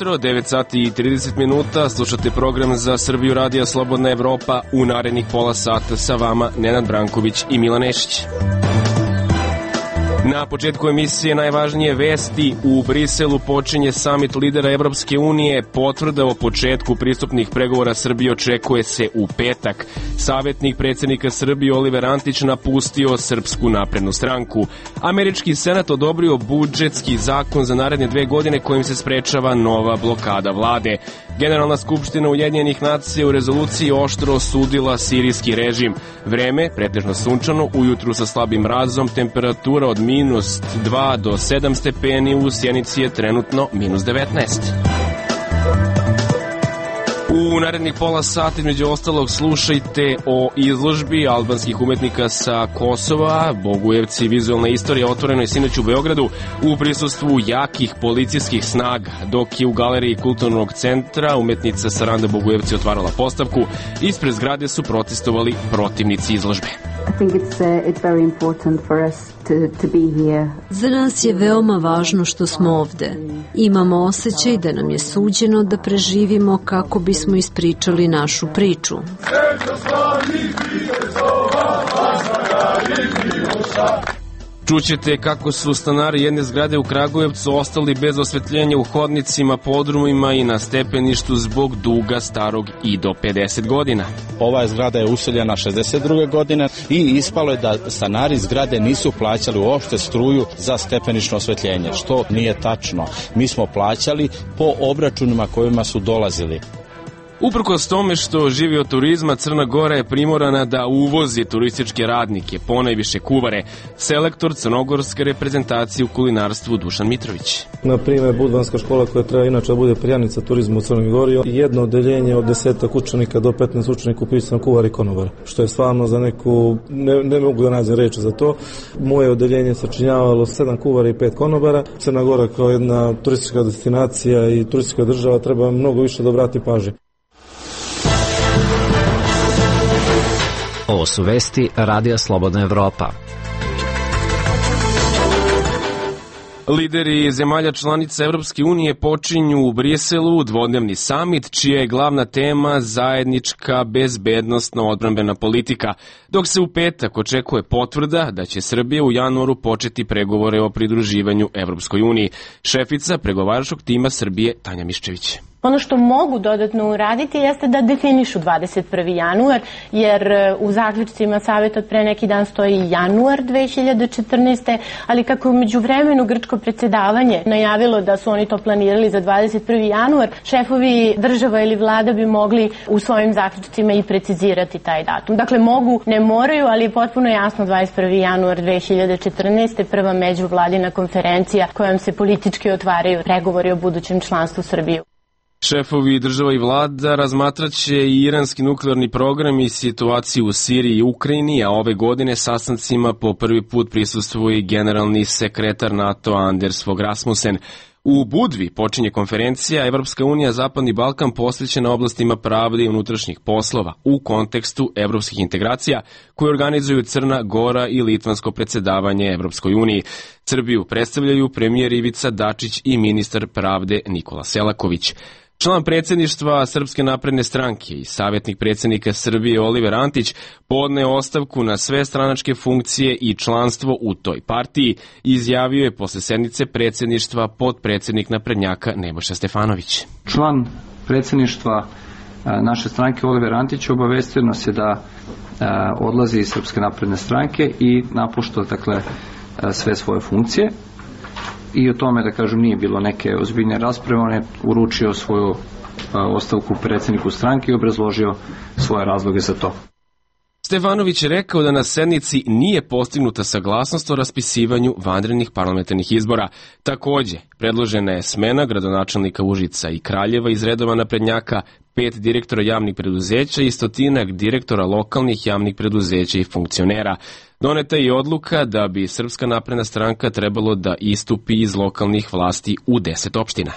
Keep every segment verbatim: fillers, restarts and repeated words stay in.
jutro, devet sati i trideset minuta, slušate program za Srbiju Radija Slobodna Evropa. U narednih pola sata sa vama Nenad Branković i Milan Nešić. Na početku emisije najvažnije vesti. U Briselu počinje samit lidera Evropske unije. Potvrda o početku pristupnih pregovora Srbije očekuje se u petak. Savjetnik predsjednika Srbije Oliver Antić napustio Srpsku naprednu stranku. Američki senat odobrio budžetski zakon za naredne dve godine kojim se sprečava nova blokada vlade. Generalna skupština Ujedinjenih nacija u rezoluciji oštro osudila sirijski režim. Vreme pretežno sunčano, ujutru sa slabim mrazom, temperatura od minus dva do sedam stepeni, u Sjenici je trenutno minus devetnaest. U narednih pola sata, među ostalog, slušajte o izložbi albanskih umetnika sa Kosova, Bogujevci, vizualna istorija, otvorenoj sinoć u Beogradu u prisustvu jakih policijskih snaga, dok je u galeriji Kulturnog centra umetnica Saranda Bogujevci otvarala postavku. Ispred zgrade su protestovali protivnici izložbe. Za nas je veoma važno što smo ovde. Imamo osjećaj da nam je suđeno da preživimo kako bismo ispričali našu priču. Čućete kako su stanari jedne zgrade u Kragujevcu ostali bez osvetljenja u hodnicima, podrumima i na stepeništu zbog duga starog i do pedeset godina. Ova zgrada je useljena šezdeset druge godine i ispalo je da stanari zgrade nisu plaćali uopšte struju za stepenično osvetljenje, što nije tačno. Mi smo plaćali po obračunima kojima su dolazili. Uprkos tome što živi od turizma, Crna Gora je primorana da uvozi turističke radnike, ponajviše kuvare. Selektor crnogorske reprezentacije u kulinarstvu Dušan Mitrović. Na primjer, Budvanska škola koja treba inače da bude perjanica turizma u Crnoj Gori, jedno odeljenje od desetak učenika do petnaest učenika upisano kuvar i konobar, što je stvarno za neku, ne, ne mogu da nađem reči za to. Moje odeljenje sačinjavalo sedam kuvara i pet konobara. Crna Gora kao jedna turistička destinacija i turistička država treba mnogo više da obrati pažnje. Ovo su vesti Radija Slobodna Evropa. Lideri zemalja članica Evropske unije počinju u Briselu dvodnevni samit, čija je glavna tema zajednička bezbednosno-odbrambena politika, dok se u petak očekuje potvrda da će Srbija u januaru početi pregovore o pridruživanju Evropskoj uniji. Šefica pregovaračkog tima Srbije Tanja Miščević. Ono što mogu dodatno uraditi jeste da definišu dvadeset prvi januar, jer u zaključcima savjeta od pre neki dan stoji januar dve hiljade četrnaeste. ali kako je među vremenu grčko predsjedavanje najavilo da su oni to planirali za dvadeset prvi januar, šefovi država ili vlada bi mogli u svojim zaključcima i precizirati taj datum. Dakle, mogu, ne moraju, ali je potpuno jasno dvadeset prvi januar dve hiljade četrnaeste. prva međuvladina konferencija kojom se politički otvaraju pregovori o budućem članstvu Srbije. Šefovi država i vlada razmatraće i iranski nuklearni program i situaciju u Siriji i Ukrajini, a ove godine sastancima po prvi put prisustvuje i generalni sekretar NATO Anders Fogh Rasmussen. U Budvi počinje konferencija Evropska unija Zapadni Balkan posvećena oblastima pravde i unutrašnjih poslova u kontekstu evropskih integracija koje organizuju Crna Gora i litvansko predsjedavanje Evropskoj uniji. Srbiju predstavljaju premijer Ivica Dačić i ministar pravde Nikola Selaković. Član predsjedništva Srpske napredne stranke i savjetnik predsjednika Srbije Oliver Antić podneo ostavku na sve stranačke funkcije i članstvo u toj partiji, izjavio je posle sednice predsjedništva potpredsjednik naprednjaka Nebojša Stefanović. Član predsjedništva naše stranke Oliver Antić obavestio nas je da odlazi iz Srpske napredne stranke i napušta dakle sve svoje funkcije. I o tome, da kažem, nije bilo neke ozbiljne rasprave. On je uručio svoju ostavku predsjedniku stranke i obrazložio svoje razloge za to. Stefanović je rekao da na sednici nije postignuta saglasnost o raspisivanju vanrednih parlamentarnih izbora. Takođe, predložena je smena gradonačelnika Užica i Kraljeva iz redova naprednjaka, pet direktora javnih preduzeća i stotinak direktora lokalnih javnih preduzeća i funkcionera. Doneta je i odluka da bi Srpska napredna stranka trebalo da istupi iz lokalnih vlasti u deset opština.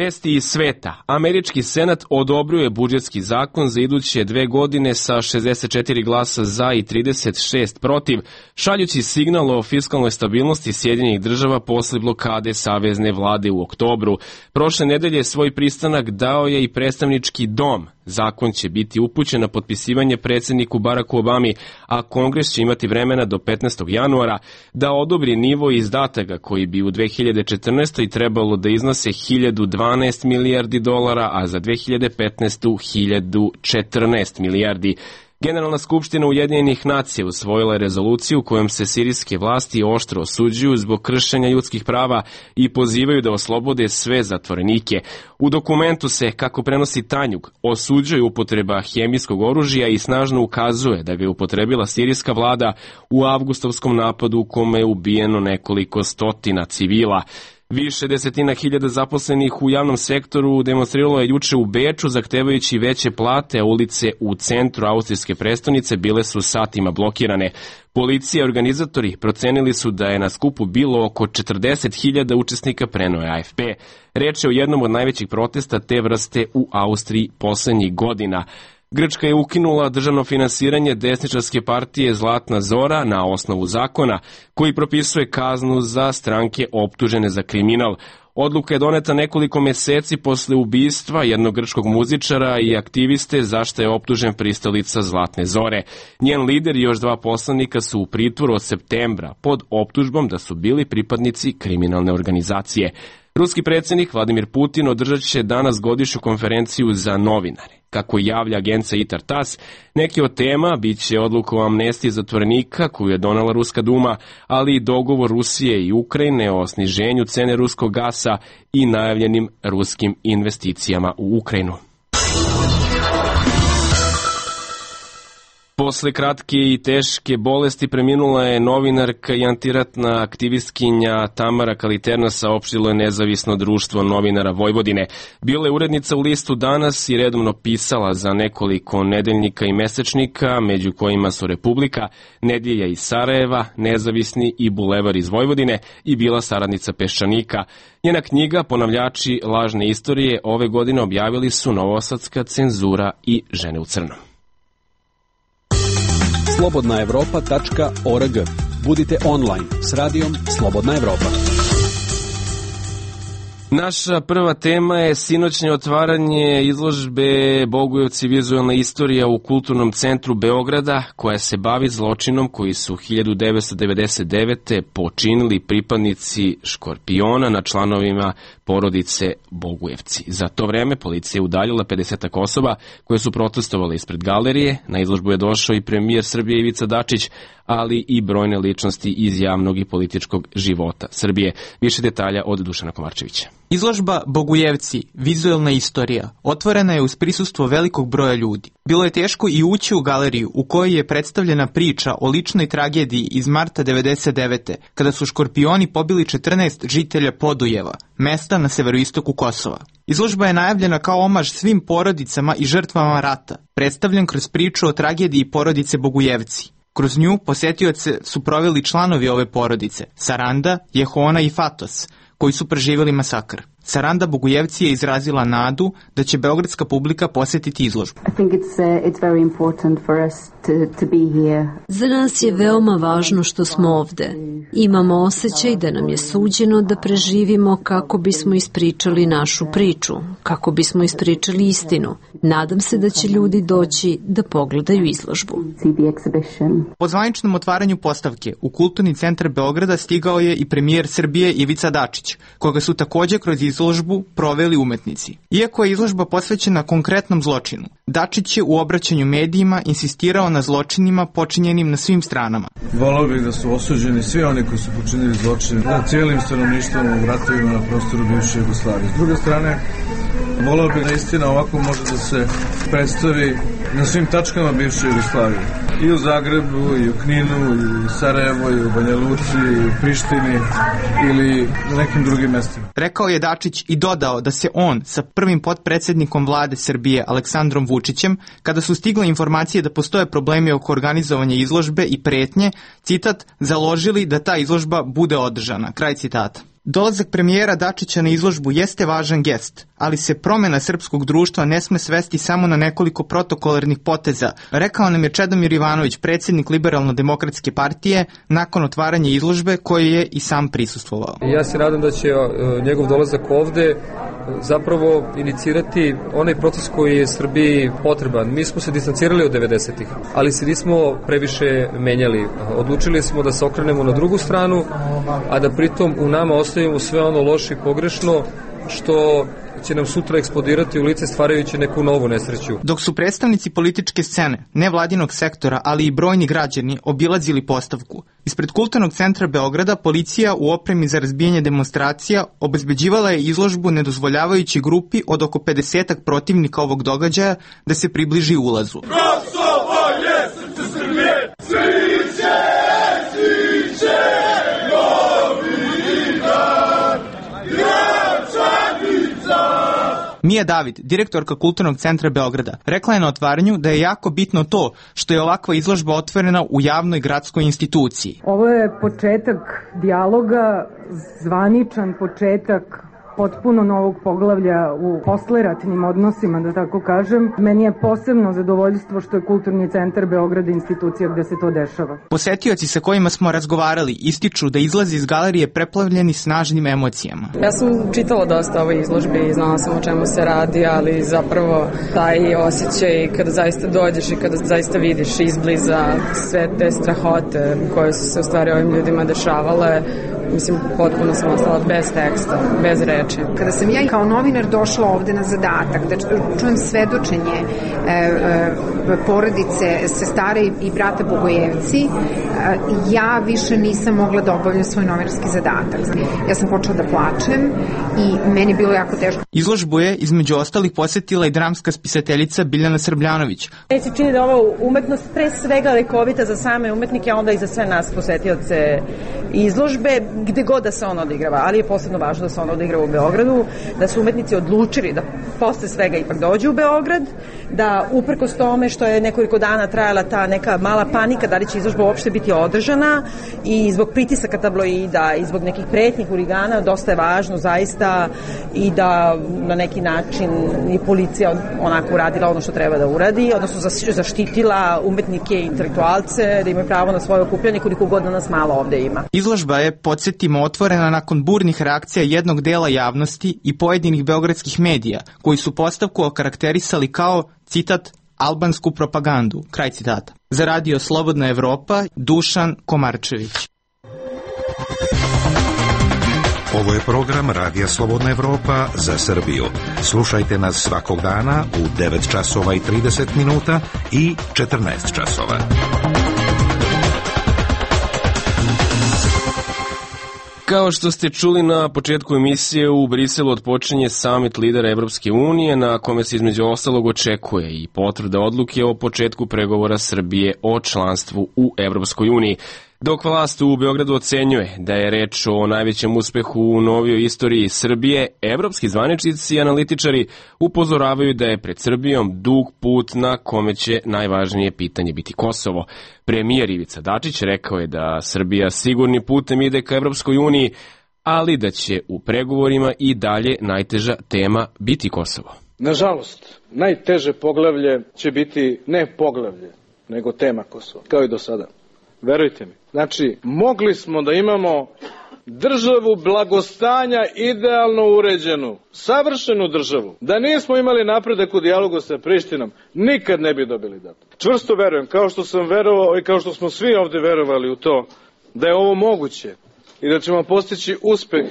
Vesti iz sveta. Američki senat odobrio je budžetski zakon za iduće dve godine sa šezdeset četiri glasa za i trideset šest protiv, šaljući signal o fiskalnoj stabilnosti Sjedinjenih država posle blokade savezne vlade u oktobru. Prošle nedelje svoj pristanak dao je i predstavnički dom. Zakon će biti upućen na potpisivanje predsjedniku Baracku Obami, a Kongres će imati vremena do petnaestog januara da odobri nivo izdataka koji bi u dve hiljade četrnaestoj. trebalo da iznose hiljadu dvanaest milijardi dolara, a za dve hiljade petnaestu. hiljadu četrnaest milijardi. Generalna skupština Ujedinjenih nacija usvojila je rezoluciju kojom se sirijske vlasti oštro osuđuju zbog kršenja ljudskih prava i pozivaju da oslobode sve zatvorenike. U dokumentu se, kako prenosi Tanjug, osuđuje upotreba hemijskog oružja i snažno ukazuje da ga je upotrebila sirijska vlada u avgustovskom napadu u kome je ubijeno nekoliko stotina civila. Više desetina hiljada zaposlenih u javnom sektoru demonstriralo je juče u Beču zahtevajući veće plate, a ulice u centru austrijske prestonice bile su satima blokirane. Policija i organizatori procenili su da je na skupu bilo oko četrdeset hiljada učesnika, preneo je A F P. Reč je o jednom od najvećih protesta te vrste u Austriji poslednjih godina. Grčka je ukinula državno finansiranje desničarske partije Zlatna Zora na osnovu zakona koji propisuje kaznu za stranke optužene za kriminal. Odluka je doneta nekoliko meseci posle ubistva jednog grčkog muzičara i aktiviste za što je optužen pristalica Zlatne Zore. Njen lider i još dva poslanika su u pritvoru od septembra pod optužbom da su bili pripadnici kriminalne organizacije. Ruski predsjednik Vladimir Putin održat će danas godišnju konferenciju za novinare. Kako javlja agencija I T A R TASS, neke od tema biće odluka o amnestiji zatvorenika koju je donela Ruska duma, ali i dogovor Rusije i Ukrajine o sniženju cene ruskog gasa i najavljenim ruskim investicijama u Ukrajinu. Posle kratke i teške bolesti preminula je novinarka i antiratna aktivistkinja Tamara Kaliterna, saopštilo je Nezavisno društvo novinara Vojvodine. Bila je urednica u listu Danas i redovno pisala za nekoliko nedeljnika i mesečnika, među kojima su Republika, Nedelja iz Sarajeva, Nezavisni i Bulevar iz Vojvodine, i bila saradnica Peščanika. Njena knjiga Ponavljači lažne istorije ove godine objavili su Novosadska cenzura i Žene u crnom. slobodna evropa tačka org. Budite online s radijom Slobodna Evropa. Naša prva tema je sinoćnje otvaranje izložbe Bogujevci vizualna istorija u Kulturnom centru Beograda, koja se bavi zločinom koji su hiljadu devetsto devedeset devete počinili pripadnici Škorpiona na članovima porodice Bogujevci. Za to vreme policija je udaljila pedesetak osoba koje su protestovale ispred galerije. Na izložbu je došao i premijer Srbije Ivica Dačić, ali i brojne ličnosti iz javnog i političkog života Srbije. Više detalja od Dušana Komarčevića. Izložba Bogujevci, vizualna istorija, otvorena je uz prisustvo velikog broja ljudi. Bilo je teško i ući u galeriju u kojoj je predstavljena priča o ličnoj tragediji iz marta devedeset devete. kada su Škorpioni pobili četrnaest žitelja Podujeva, mesta na severoistoku Kosova. Izložba je najavljena kao omaž svim porodicama i žrtvama rata, predstavljen kroz priču o tragediji porodice Bogujevci. Kroz nju posetioce su proveli članovi ove porodice, Saranda, Jehona i Fatos, koji su preživjeli masakr. Saranda Bogujevci je izrazila nadu da će beogradska publika posetiti izložbu. Za nas je veoma važno što smo ovde. Imamo osjećaj da nam je suđeno da preživimo kako bismo ispričali našu priču, kako bismo ispričali istinu. Nadam se da će ljudi doći da pogledaju izložbu. Po zvaničnom otvaranju postavke u Kulturni centar Beograda stigao je i premijer Srbije Ivica Dačić, koga su takođe kroz izložbu proveli umetnici. Iako je izložba posvećena konkretnom zločinu, Dačić je u obraćanju medijima insistirao na zločinima počinjenim na svim stranama. Volao bih da su osuđeni svi oni koji su počinili zločine nad cijelim stanovništvom u ratovima na prostoru bivše Jugoslavije. S druge strane, volao bih da istina ovako može da se predstavi na svim tačkama bivše Jugoslavije. I u Zagrebu, i u Kninu, i u Sarajevu, i u Banja Luci, i u Prištini ili na nekim drugim mestima. Rekao je Dačić i dodao da se on sa prvim potpredsjednikom vlade Srbije Aleksandrom Vučićem, kada su stigle informacije da postoje problemi oko organizovanja izložbe i pretnje, citat, založili da ta izložba bude održana. Kraj citata. Dolazak premijera Dačića na izložbu jeste važan gest, ali se promjena srpskog društva ne sme svesti samo na nekoliko protokolarnih poteza, rekao nam je Čedomir Ivanović, predsjednik Liberalno-demokratske partije, nakon otvaranja izložbe koje je i sam prisustvovao. Ja se nadam da će njegov dolazak ovde zapravo inicirati onaj proces koji je Srbiji potreban. Mi smo se distancirali od devedesetih, ali se nismo previše menjali. Odlučili smo da se okrenemo na drugu stranu, a da pritom u nama ostavimo sve ono loše i pogrešno što će nam sutra eksplodirati u lice stvarajući neku novu nesreću. Dok su predstavnici političke scene, nevladinog sektora, ali i brojni građani obilazili postavku, ispred Kulturnog centra Beograda policija u opremi za razbijanje demonstracija obezbeđivala je izložbu nedozvoljavajući grupi od oko pedesetak protivnika ovog događaja da se približi ulazu. Kosovo je srce Srbije, sviće, sviće, novi dan, Gračanica. Mija David, direktorka Kulturnog centra Beograda, rekla je na otvaranju da je jako bitno to što je ovakva izložba otvorena u javnoj gradskoj instituciji. Ovo je početak dijaloga, zvaničan početak potpuno novog poglavlja u posleratnim odnosima, da tako kažem. Meni je posebno zadovoljstvo što je Kulturni centar Beograda institucija gde se to dešava. Posetioci sa kojima smo razgovarali ističu da izlazi iz galerije preplavljeni snažnim emocijama. Ja sam čitala dosta o ovoj izložbi i znala sam o čemu se radi, ali zapravo taj osjećaj kada zaista dođeš i kada zaista vidiš izbliza sve te strahote koje su se u stvari ovim ljudima dešavale, mislim, potpuno sam ostala bez teksta, bez reči. Kada sam ja kao novinar došla ovde na zadatak da čujem svedočenje e, e, porodice sestare i brata Bogojevci, e, ja više nisam mogla da obavljam svoj novinarski zadatak. Ja sam počela da plačem i meni je bilo jako teško. Izložbu je, između ostalih, posjetila i dramska spisateljica Biljana Srbljanović. Meni se čini da ova umetnost pre svega lekovita za same umetnike, a onda i za sve nas posetioce izložbe, gde god da se ona odigrava, ali je posebno važno da se ona odigrava u Beogradu, da su umetnici odlučili da posle svega ipak dođu u Beograd, da uprkos tome što je nekoliko dana trajala ta neka mala panika da li će izložba uopšte biti održana i zbog pritisaka tabloida i zbog nekih pretnjih huligana, dosta je važno zaista i da na neki način i policija onako uradila ono što treba da uradi, odnosno zaštitila umetnike i intelektualce da imaju pravo na svoje okupljanje koliko god da nas malo ovde ima. Izložba je, podsjetimo, otvorena nakon burnih reakcija jednog dela javnosti i pojedinih beogradskih medija, koji su postavku okarakterisali kao, citat, albansku propagandu, kraj citata. Za radio Slobodna Evropa, Dušan Komarčević. Ovo je program Radija Slobodna Evropa za Srbiju. Slušajte nas svakog dana u devet časova i trideset minuta i četrnaest časova. Kao što ste čuli na početku emisije, u Briselu otpočinje samit lidera Evropske unije, na kome se između ostalog očekuje i potvrda odluke o početku pregovora Srbije o članstvu u Evropskoj uniji. Dok vlast u Beogradu ocenjuje da je reč o najvećem uspehu u novijoj istoriji Srbije, evropski zvaničnici i analitičari upozoravaju da je pred Srbijom dug put na kome će najvažnije pitanje biti Kosovo. Premijer Ivica Dačić rekao je da Srbija sigurni putem ide ka Evropskoj uniji, ali da će u pregovorima i dalje najteža tema biti Kosovo. Nažalost, najteže poglavlje će biti ne poglavlje, nego tema Kosova, kao i do sada. Verujte mi. Znači, mogli smo da imamo državu blagostanja idealno uređenu, savršenu državu. Da nismo imali napredak u dijalogu sa Prištinom, nikad ne bi dobili datum. Čvrsto verujem, kao što sam verovao i kao što smo svi ovde verovali u to, da je ovo moguće i da ćemo postići uspeh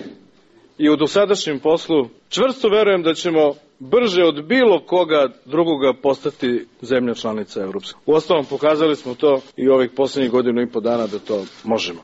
i u dosadašnjem poslu. Čvrsto verujem da ćemo brže od bilo koga drugoga postati zemlja članica Evropske. Uostalom, pokazali smo to i ovih poslednjih godinu i po dana da to možemo.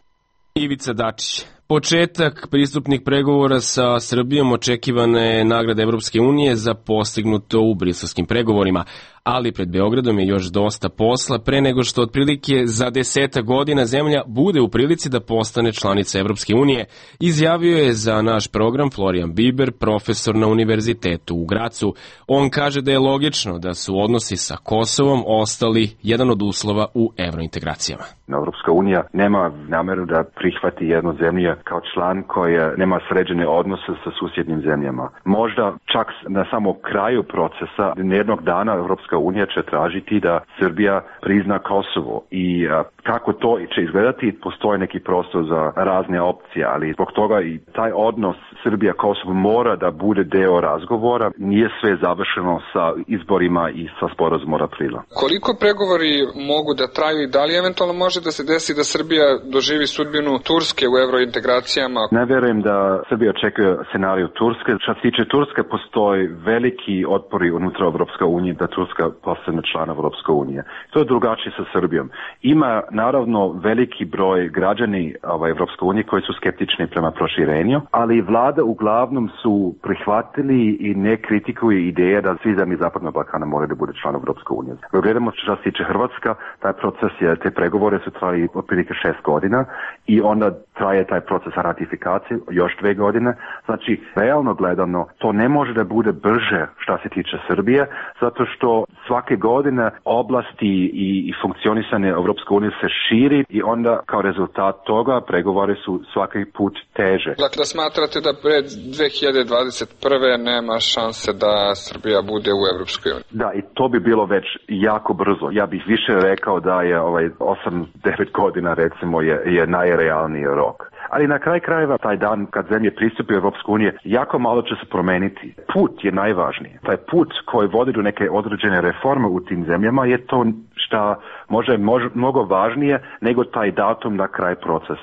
Ivica Dačić. Početak pristupnih pregovora sa Srbijom očekivane je nagrada Evropske unije za postignuto u briselskim pregovorima, ali pred Beogradom je još dosta posla pre nego što otprilike za deseta godina zemlja bude u prilici da postane članica Evropske unije, izjavio je za naš program Florian Biber, profesor na Univerzitetu u Gracu. On kaže da je logično da su odnosi sa Kosovom ostali jedan od uslova u evrointegracijama. Evropska unija nema nameru da prihvati jednu zemlju kao član koja nema sređene odnose sa susjednim zemljama. Možda čak na samom kraju procesa jednog dana Evropska unija će tražiti da Srbija prizna Kosovo i a, kako to će izgledati, postoji neki prostor za razne opcije, ali zbog toga i taj odnos Srbija-Kosovo mora da bude deo razgovora. Nije sve završeno sa izborima i sa sporazumom od aprila. Koliko pregovori mogu da traju i da li eventualno može da se desi da Srbija doživi sudbinu Turske u evrointegracijama? Ne verujem da Srbija očekuje scenariju Turske. Što se tiče Turske, postoji veliki otpori unutra Evropske unije da Turska postane član Evropske unije. To je drugačije sa Srbijom. Ima naravno veliki broj građani ovaj, Evropske unije koji su skeptični prema proširenju, ali vlada uglavnom su prihvatili i ne kritikuju ideje da svi zemlji Zapadnog Balkana moraju da bude član Evropske unije. Gledamo što se tiče Hrvatska, taj proces je, te pregovore su trajali otprilike šest godina i onda traje taj proces ratifikacije još dve godine. Znači, realno gledano, to ne može da bude brže što se tiče Srbije, zato što svake godine oblasti i, i funkcionisanje Evropske unije se širi i onda kao rezultat toga pregovore su svaki put teže. Dakle, smatrate da pred dve hiljade dvadeset prve nema šanse da Srbija bude u Evropskoj uniji? Da, i to bi bilo već jako brzo. Ja bih više rekao da je ovaj osam devet godina recimo je, je najrealniji rok. Ali na kraj krajeva taj dan kad zemlje pristupi u Evropsku uniju jako malo će se promeniti. Put je najvažniji. Taj put koji vodi do neke određene reforme u tim zemljama je to što može, može mnogo važnije nego taj datum na kraj procesa.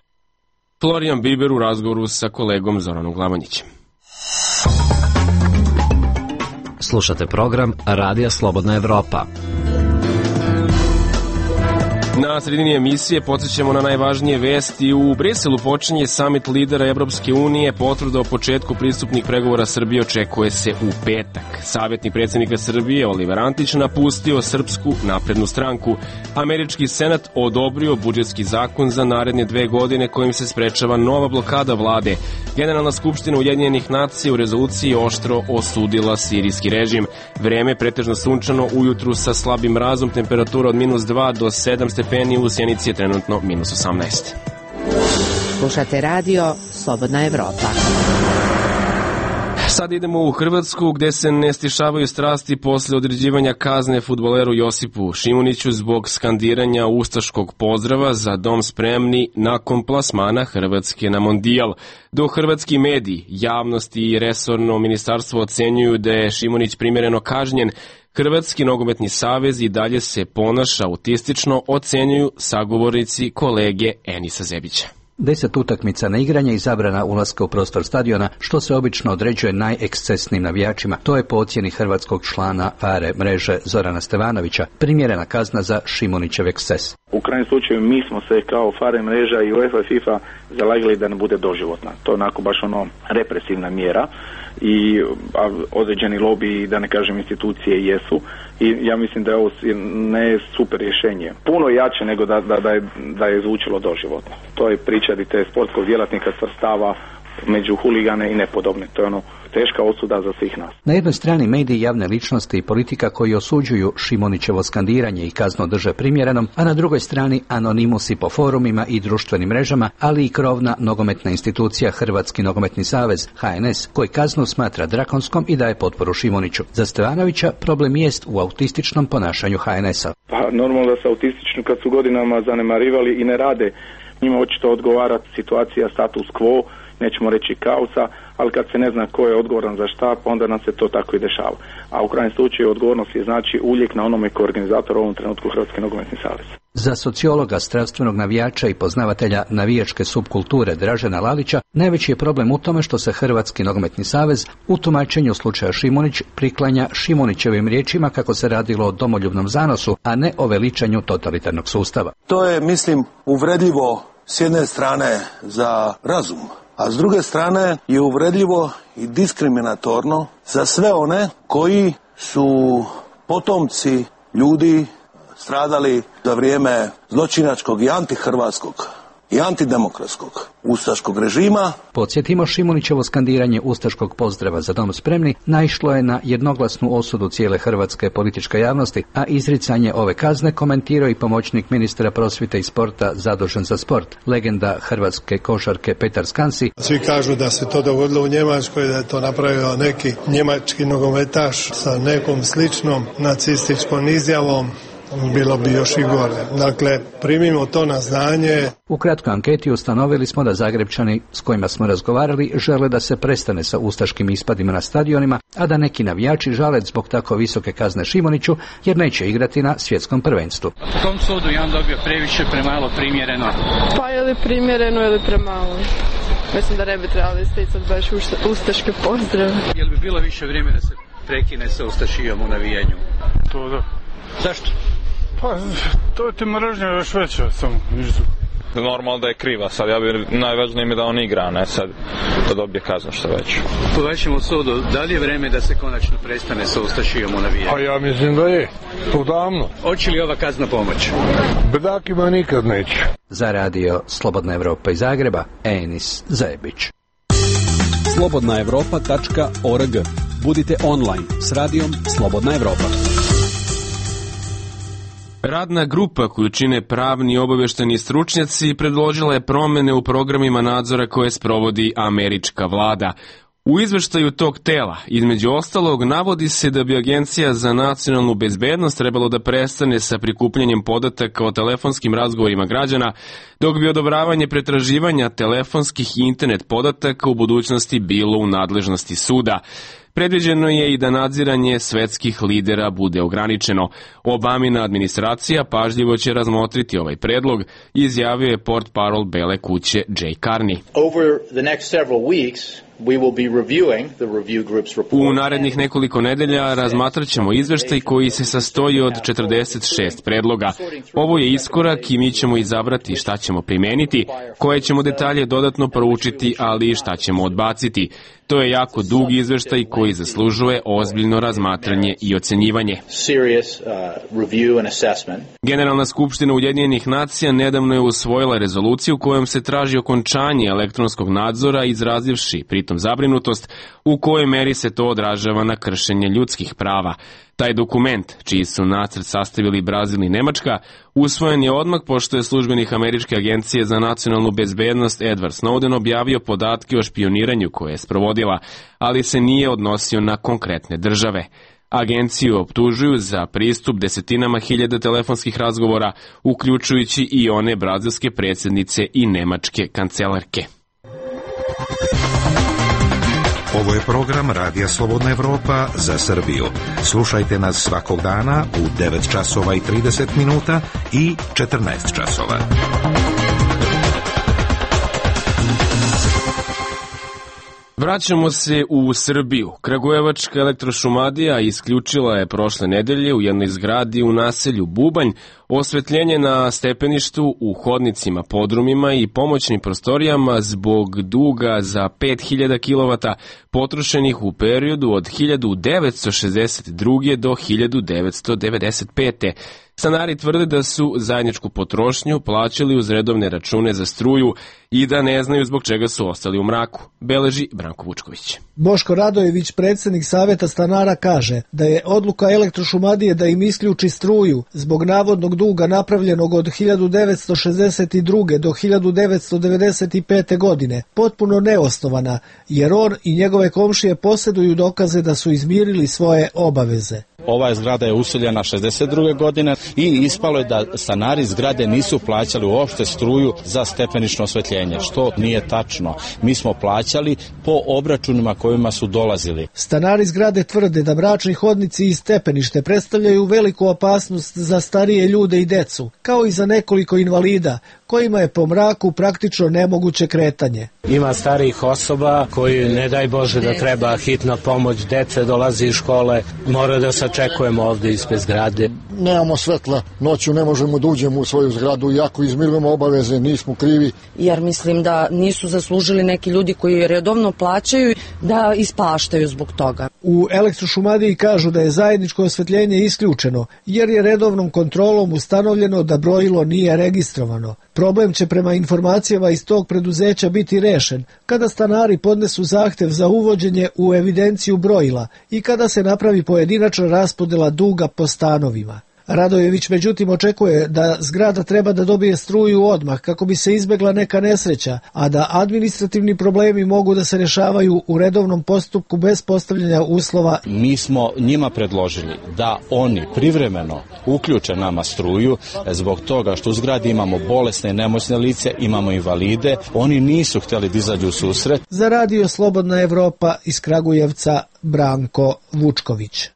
Florian Biber u razgovoru sa kolegom Zoranom Glavanjićem. Slušate program Radija Slobodna Evropa. Na sredini emisije podsjećamo na najvažnije vesti. U Briselu počinje samit lidera Evropske unije. Potvrda o početku pristupnih pregovora Srbije očekuje se u petak. Savjetnik predsjednika Srbije Oliver Antić napustio Srpsku naprednu stranku. Američki senat odobrio budžetski zakon za naredne dve godine kojim se sprečava nova blokada vlade. Generalna skupština Ujedinjenih nacija u rezoluciji oštro osudila sirijski režim. Vreme pretežno sunčano, ujutru sa slabim mrazom, temperatura od minus dva do sedam stepeni, u Sjenici je trenutno minus osamnaest. Slušate radio Slobodna Evropa. Sad idemo u Hrvatsku gde se ne stišavaju strasti posle određivanja kazne fudbaleru Josipu Šimuniću zbog skandiranja ustaškog pozdrava za dom spremni nakon plasmana Hrvatske na mondijal. Dok hrvatski mediji, javnost i resorno ministarstvo ocenjuju da je Šimunić primjereno kažnjen, Hrvatski nogometni savez i dalje se ponaša autistično, ocenjuju sagovornici kolege Enisa Zebića. Deset utakmica na igranje i zabrana ulaska u prostor stadiona, što se obično određuje najekscesnijim navijačima. To je po ocjeni hrvatskog člana Fare mreže Zorana Stevanovića primjerena kazna za Šimunićev eksces. U krajnjem slučaju mi smo se kao Fare mreža i UEFA i FIFA zalagali da ne bude doživotna. To je onako baš ono represivna mjera i a, određeni lobiji, da ne kažem institucije, jesu i ja mislim da je ovo ne super rješenje. Puno jače nego da, da, da, je, da je zvučilo doživotno. To je priča di te sportskog djelatnika svrstava među huligane i nepodobne. To je ono teška osuda za svih nas. Na jednoj strani mediji, javne ličnosti i politika koji osuđuju Šimunićevo skandiranje i kaznu drže primjerenom, a na drugoj strani anonimusi po forumima i društvenim mrežama, ali i krovna nogometna institucija Hrvatski nogometni savez H N S, koji kaznu smatra drakonskom i daje potporu Šimuniću. Za Stevanovića problem jest u autističnom ponašanju H N S-a. Pa normalno da se autistično kad su godinama zanemarivali i ne rade, njima očito odgovara situacija status quo, nećemo reći kaosa, ali kad se ne zna ko je odgovoran za šta, pa onda nam se to tako i dešava. A u krajnjem slučaju odgovornost je znači uvijek na onome ko je organizator u ovom trenutku Hrvatski nogometni savez. Za sociologa, strastvenog navijača i poznavatelja navijačke subkulture Dražena Lalića, najveći je problem u tome što se Hrvatski nogometni savez u tumačenju slučaja Šimunić priklanja Šimunićevim riječima kako se radilo o domoljubnom zanosu, a ne o veličanju totalitarnog sustava. To je, mislim, uvredljivo s jedne strane za razum, a s druge strane je uvredljivo i diskriminatorno za sve one koji su potomci ljudi stradali za vrijeme zločinačkog i antihrvatskog i antidemokratskog ustaškog režima. Podsjetimo, Šimunićevo skandiranje ustaškog pozdrava za dom spremni naišlo je na jednoglasnu osudu cijele hrvatske političke javnosti, a izricanje ove kazne komentirao i pomoćnik ministra prosvjete i sporta zadužen za sport, legenda hrvatske košarke Petar Skansi. Svi kažu da se to dogodilo u Njemačkoj, da je to napravio neki njemački nogometaš sa nekom sličnom nacističkom izjavom. Bilo bi još i gore. Dakle, primimo to na znanje. U kratkoj anketi ustanovili smo da Zagrebčani s kojima smo razgovarali žele da se prestane sa ustaškim ispadima na stadionima, a da neki navijači žale zbog tako visoke kazne Šimuniću jer neće igrati na svjetskom prvenstvu. U tom sudu je on dobio previše, premalo, primjereno. Pa je li primjereno ili premalo? Mislim da ne bi trebali isticati baš ustaške pozdrave. Je li bi bilo više vrijeme da se prekine sa ustašijom u navijenju? To da. Zašto? Pa, to je ti mržnja još veća samo. Normalno da je kriva, sad ja bi najvažnije mi da on igra, ne sad da dobije kaznu što već. Po vašem sudu, da li je vreme da se konačno prestane sa ustašijom u navijenju? Pa ja mislim da je, to davno. Hoće li ova kazna pomoći? Bedakima nikad neće. Za radio Slobodna Evropa iz Zagreba, Enis Zajebić. slobodna evropa tačka org. Budite online s radijom Slobodna Evropa. Radna grupa koju čine pravni i obavešteni stručnjaci predložila je promene u programima nadzora koje sprovodi američka vlada. U izveštaju tog tela, između ostalog, navodi se da bi Agencija za nacionalnu bezbednost trebalo da prestane sa prikupljanjem podataka o telefonskim razgovorima građana, dok bi odobravanje pretraživanja telefonskih i internet podataka u budućnosti bilo u nadležnosti suda. Predviđeno je i da nadziranje svetskih lidera bude ograničeno. Obamina administracija pažljivo će razmotriti ovaj predlog, izjavio je portparol Bele kuće Jay Carney. Over the next several weeks, we will be reviewing the review group's report. U narednih nekoliko nedelja razmatrat ćemo izveštaj koji se sastoji od četrdeset šest predloga. Ovo je iskorak i mi ćemo izabrati šta ćemo primeniti, koje ćemo detalje dodatno proučiti, ali i šta ćemo odbaciti. To je jako dug izveštaj koji zaslužuje ozbiljno razmatranje i ocenjivanje. Generalna skupština Ujedinjenih nacija nedavno je usvojila rezoluciju kojom se traži okončanje elektronskog nadzora, izrazivši pritom zabrinutost u kojoj meri se to odražava na kršenje ljudskih prava. Taj dokument, čiji su nacrt sastavili Brazil i Nemačka, usvojen je odmah pošto je službenik Američke agencije za nacionalnu bezbednost Edward Snowden objavio podatke o špioniranju koje je sprovodila, ali se nije odnosio na konkretne države. Agenciju optužuju za pristup desetinama hiljada telefonskih razgovora, uključujući i one brazilske predsjednice i nemačke kancelarke. Ovo je program Radija Slobodna Evropa za Srbiju. Slušajte nas svakog dana u devet časova i trideset minuta i četrnaest časova. Vraćamo se u Srbiju. Kragujevačka elektrošumadija isključila je prošle nedelje u jednoj zgradi u naselju Bubanj osvetljenje na stepeništu, u hodnicima, podrumima i pomoćnim prostorijama zbog duga za pet hiljada kilovata potrošenih u periodu od hiljadu devetsto šezdeset druge do hiljadu devetsto devedeset pete. Stanari tvrde da su zajedničku potrošnju plaćali uz redovne račune za struju i da ne znaju zbog čega su ostali u mraku, beleži Branko Vučković. Boško Radojević, predsjednik Saveta stanara, kaže da je odluka elektrošumadije da im isključi struju zbog navodnog duga napravljenog od hiljadu devetsto šezdeset druge do hiljadu devetsto devedeset pete godine potpuno neosnovana, jer on i njegove komšije posjeduju dokaze da su izmirili svoje obaveze. Ova zgrada je useljena šezdeset druge godine i ispalo je da stanari zgrade nisu plaćali uopšte struju za stepenično osvetljenje, što nije tačno. Mi smo plaćali po obračunima kojima su dolazili. Stanari zgrade tvrde da mračni hodnici i stepenište predstavljaju veliku opasnost za starije ljude i decu, kao i za nekoliko invalida, kojima je po mraku praktično nemoguće kretanje. Ima starijih osoba koji, ne daj Bože da treba hitna pomoć, dece dolazi iz škole, mora da sačekujemo ovde ispred zgrade. nemamo svetla, noću ne možemo da uđemo u svoju zgradu, iako izmirujemo obaveze, nismo krivi. Jer mislim da nisu zaslužili neki ljudi koji redovno plaćaju da ispaštaju zbog toga. U Elektrošumadiji kažu da je zajedničko osvetljenje isključeno, jer je redovnom kontrolom ustanovljeno da brojilo nije registrovano. Problem će prema informacijama iz tog preduzeća biti rešen kada stanari podnesu zahtev za uvođenje u evidenciju brojila i kada se napravi pojedinačna raspodela duga po stanovima. Radojević međutim očekuje da zgrada treba da dobije struju odmah kako bi se izbegla neka nesreća, a da administrativni problemi mogu da se rešavaju u redovnom postupku bez postavljanja uslova. Mi smo njima predložili da oni privremeno uključe nama struju zbog toga što u zgradi imamo bolesne i nemoćne lice, imamo invalide. Oni nisu htjeli da izađu u susret. Za Radio Slobodna Evropa iz Kragujevca, Branko Vučković.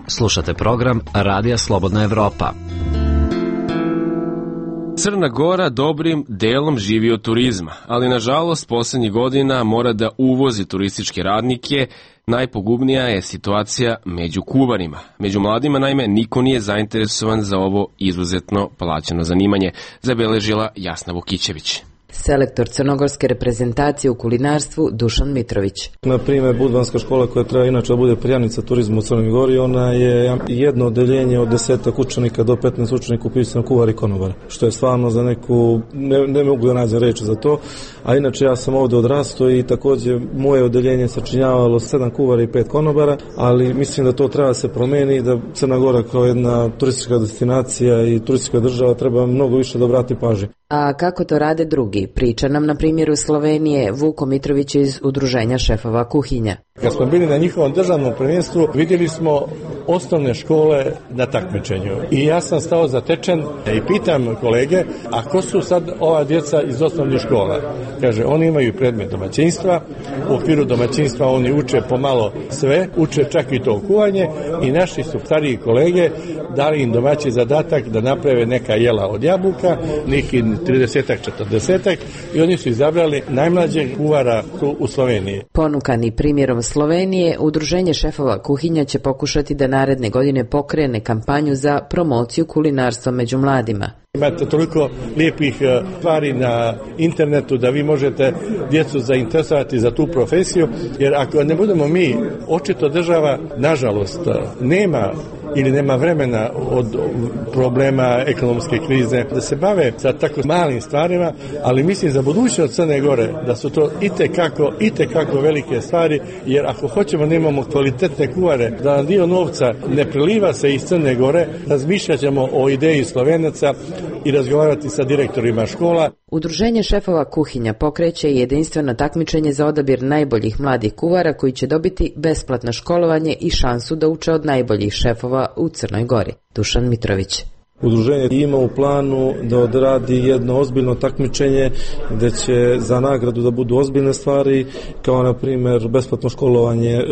Slušate program Radija Slobodna Evropa. Crna Gora dobrim delom živi od turizma, ali nažalost poslednjih godina mora da uvozi turističke radnike. Najpogubnija je situacija među kuvarima. Među mladima, naime, niko nije zainteresovan za ovo izuzetno plaćeno zanimanje, zabeležila Jasna Vukićević. Selektor crnogorske reprezentacije u kulinarstvu Dušan Mitrović. Na primjer, Budvanska škola koja treba inače da bude perjanica turizmu u Crnoj Gori, ona je jedno odeljenje od desetak učenika do petnaest učenika upisano kuvar i konobar, što je stvarno za neku, ne, ne mogu da nađem reči za to, a inače ja sam ovde odrastao i takođe moje odeljenje sačinjavalo sedam kuvara i pet konobara, ali mislim da to treba da se promeni, da Crna Gora kao jedna turistička destinacija i turistička država treba mnogo više da obrati pažnju. A kako to rade drugi? Priča nam na primjeru Slovenije Vuko Mitrović iz Udruženja šefova kuhinja. Kad smo bili na njihovom državnom prvenstvu, vidjeli smo osnovne škole na takmičenju. I ja sam stao zatečen i pitam kolege, a ko su sad ova djeca iz osnovnih škola? Kaže, oni imaju predmet domaćinstva, u okviru domaćinstva oni uče pomalo sve, uče čak i to kuvanje i naši su stariji kolege dali im domaći zadatak da naprave neka jela od jabuka, neki tridesetak, četrdesetak i oni su izabrali najmlađeg kuvara tu u Sloveniji. Ponukani primjerom Slovenije, Udruženje šefova kuhinja će pokušati da naredne godine pokrene kampanju za promociju kulinarstva među mladima. Imate toliko lijepih stvari na internetu da vi možete djecu zainteresovati za tu profesiju, jer ako ne budemo mi, očito država, nažalost, nema ili nema vremena od problema ekonomske krize da se bave sa tako malim stvarima, ali mislim za budućnost Crne Gore da su to itekako, itekako velike stvari, jer ako hoćemo da imamo kvalitetne kuvare, da nam dio novca ne preliva se iz Crne Gore, razmišljat ćemo o ideji Slovenaca i razgovarati sa direktorima škola. Udruženje šefova kuhinja pokreće jedinstveno takmičenje za odabir najboljih mladih kuvara koji će dobiti besplatno školovanje i šansu da uče od najboljih šefova u Crnoj Gori. Dušan Mitrović. Udruženje ima u planu da odradi jedno ozbiljno takmičenje gde će za nagradu da budu ozbiljne stvari, kao na primjer besplatno školovanje e,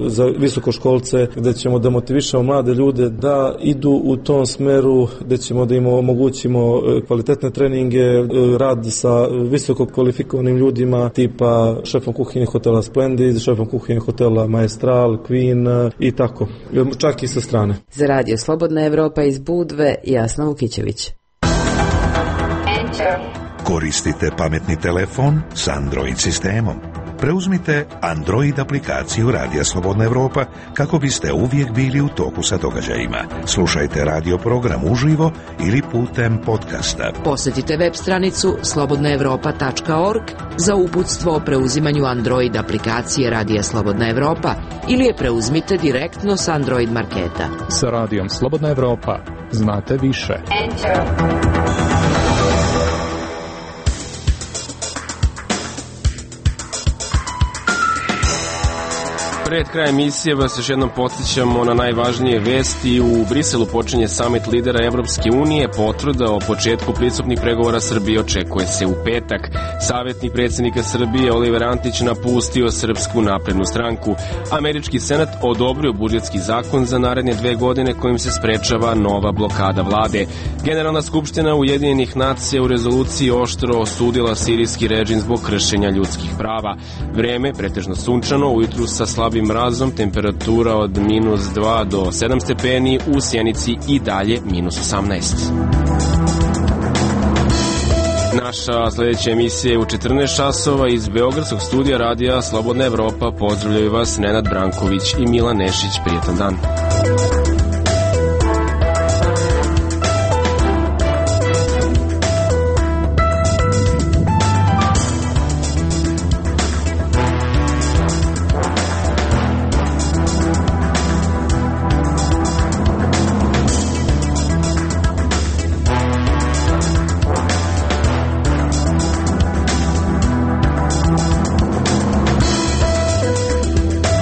za visokoškolce, gde ćemo da motivišemo mlade ljude da idu u tom smeru, gde ćemo da im omogućimo kvalitetne treninge, e, rad sa visoko kvalifikovanim ljudima tipa šefom kuhinje hotela Splendid, šefom kuhinje hotela Maestral, Queen i tako, čak i sa strane. Za Radio Slobodna Evropa iz Budve, Jasna Vukićević. Koristite pametni telefon s Android sistemom. Preuzmite Android aplikaciju Radija Slobodna Evropa kako biste uvijek bili u toku sa događajima. Slušajte radio program uživo ili putem podcasta. Posjetite web stranicu slobodna evropa tačka org za uputstvo o preuzimanju Android aplikacije Radija Slobodna Evropa ili je preuzmite direktno s Android marketa. Sa Radijom Slobodna Evropa znate više. Enter. Pred krajem emisije vas još jednom podsjećamo na najvažnije vesti. U Briselu počinje samit lidera Evropske unije. Potvrda o početku pristupnih pregovora Srbije očekuje se u petak. Savjetnik predsjednika Srbije Oliver Antić napustio Srpsku naprednu stranku. Američki senat odobrio budžetski zakon za naredne dve godine kojim se sprečava nova blokada vlade. Generalna skupština Ujedinjenih nacija u rezoluciji oštro osudila sirijski režim zbog kršenja ljudskih prava. Vreme pretežno sunčano, ujutru sa slabim slabim mrazom, temperatura od minus dva do sedam stepeni, u Sjenici i dalje minus osamnaest. Naša sljedeća emisija je u četrnaest časova iz Beogradskog studija radija Slobodna Evropa. Pozdravljaju vas Nenad Branković i Milan Nešić. Prijetan dan.